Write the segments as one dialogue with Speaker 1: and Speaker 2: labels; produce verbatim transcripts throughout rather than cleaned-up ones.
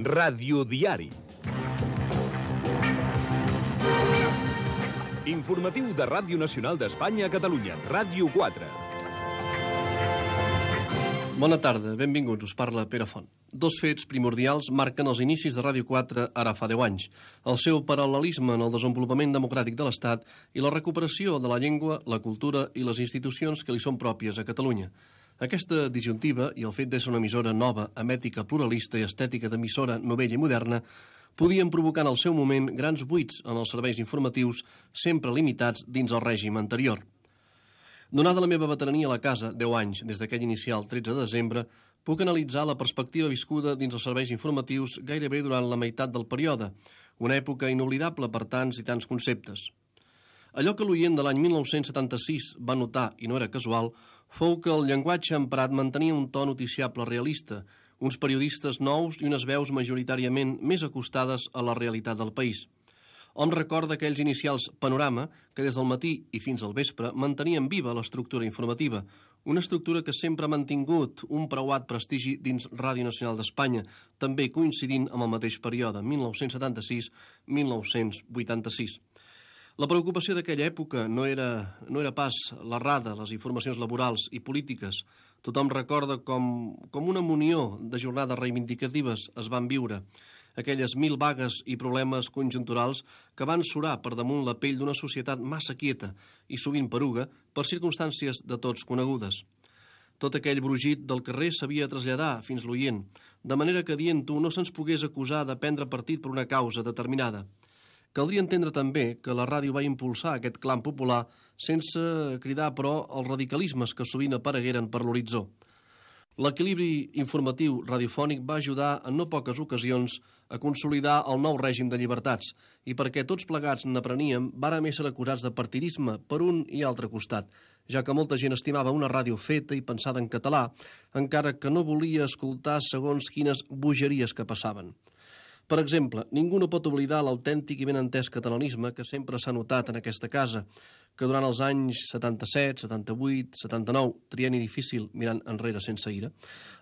Speaker 1: Radiodiari. Informatiu de Ràdio Nacional d'Espanya a Catalunya, Ràdio quatre.
Speaker 2: Bona tarda, benvinguts, us parla Pere Font. Dos fets primordials marquen els inicis de Ràdio quatre ara fa deu anys. El seu paral·lelisme en el desenvolupament democràtic de l'Estat i la recuperació de la llengua, la cultura i les institucions que li són pròpies a Catalunya. Aquesta disjuntiva i el fet d'ésser una emissora nova, amb ètica pluralista i estètica d'emissora novella i moderna, podien provocar en el seu moment grans buits en els serveis informatius, sempre limitats dins el règim anterior. Donada la meva veterania a la casa, deu anys, des d'aquell inicial tretze de desembre, puc analitzar la perspectiva viscuda dins els serveis informatius gairebé durant la meitat del període, una època inoblidable per tants i tants conceptes. Allò que l'oient de l'any mil nou-cents setanta-sis va notar, i no era casual, fou que el llenguatge emprat mantenia un to noticiable realista, uns periodistes nous i unes veus majoritàriament més acostades a la realitat del país. Hom recorda aquells inicials Panorama que des del matí i fins al vespre mantenien viva l'estructura informativa, una estructura que sempre ha mantingut un preuat prestigi dins Ràdio Nacional d'Espanya, també coincidint amb el mateix període, mil nou-cents setanta-sis a mil nou-cents vuitanta-sis. La preocupació d'aquella època no era, no era pas l'errada, les informacions laborals i polítiques. Tothom recorda com, com una munió de jornades reivindicatives es van viure, aquelles mil vagues i problemes conjunturals que van surar per damunt la pell d'una societat massa quieta i sovint peruga per circumstàncies de tots conegudes. Tot aquell brugit del carrer s'havia de traslladar fins l'oient, de manera que dient-ho no se'ns pogués acusar de prendre partit per una causa determinada. Caldria entendre també que la ràdio va impulsar aquest clam popular sense cridar, però, els radicalismes que sovint aparegueren per l'horitzó. L'equilibri informatiu radiofònic va ajudar en no poques ocasions a consolidar el nou règim de llibertats i perquè tots plegats n'apreníem vàrem ésser acusats de partidisme per un i altre costat, ja que molta gent estimava una ràdio feta i pensada en català, encara que no volia escoltar segons quines bogeries que passaven. Per exemple, ningú no pot oblidar l'autèntic i ben entès catalanisme que sempre s'ha notat en aquesta casa, que durant els anys setanta-set, setanta-vuit, setanta-nou, trienni difícil mirant enrere sense ira,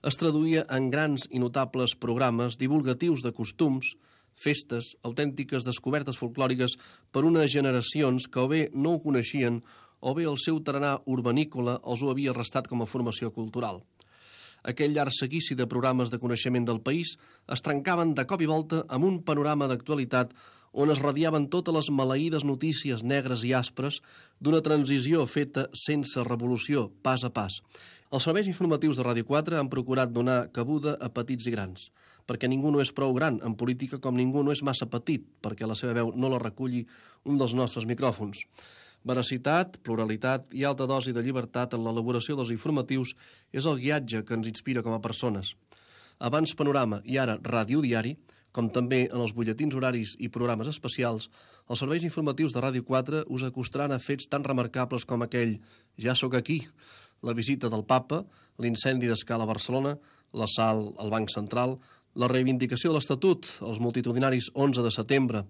Speaker 2: es traduïa en grans i notables programes divulgatius de costums, festes, autèntiques descobertes folclòriques per unes generacions que o bé no ho coneixien o bé el seu tarannà urbanícola els ho havia restat com a formació cultural. Aquell llarg seguici de programes de coneixement del país es trencaven de cop i volta amb un panorama d'actualitat on es radiaven totes les maleïdes notícies negres i aspres d'una transició feta sense revolució, pas a pas. Els serveis informatius de Ràdio quatre han procurat donar cabuda a petits i grans, perquè ningú no és prou gran en política com ningú no és massa petit, perquè la seva veu no la reculli un dels nostres micròfons. Veracitat, pluralitat i alta dosi de llibertat en l'elaboració dels informatius és el guiatge que ens inspira com a persones. Abans Panorama i ara Radiodiari, com també en els butlletins horaris i programes especials, els serveis informatius de Ràdio quatre us acostaran a fets tan remarcables com aquell «Ja sóc aquí», la visita del papa, l'incendi d'Escala a Barcelona, l'assalt al Banc Central, la reivindicació de l'Estatut, els multitudinaris onze de setembre,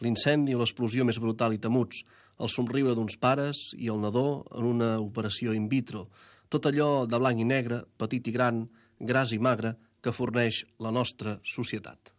Speaker 2: l'incendi o l'explosió més brutal i temuts, el somriure d'uns pares i el nadó en una operació in vitro, tot allò de blanc i negre, petit i gran, gras i magre, que forneix la nostra societat.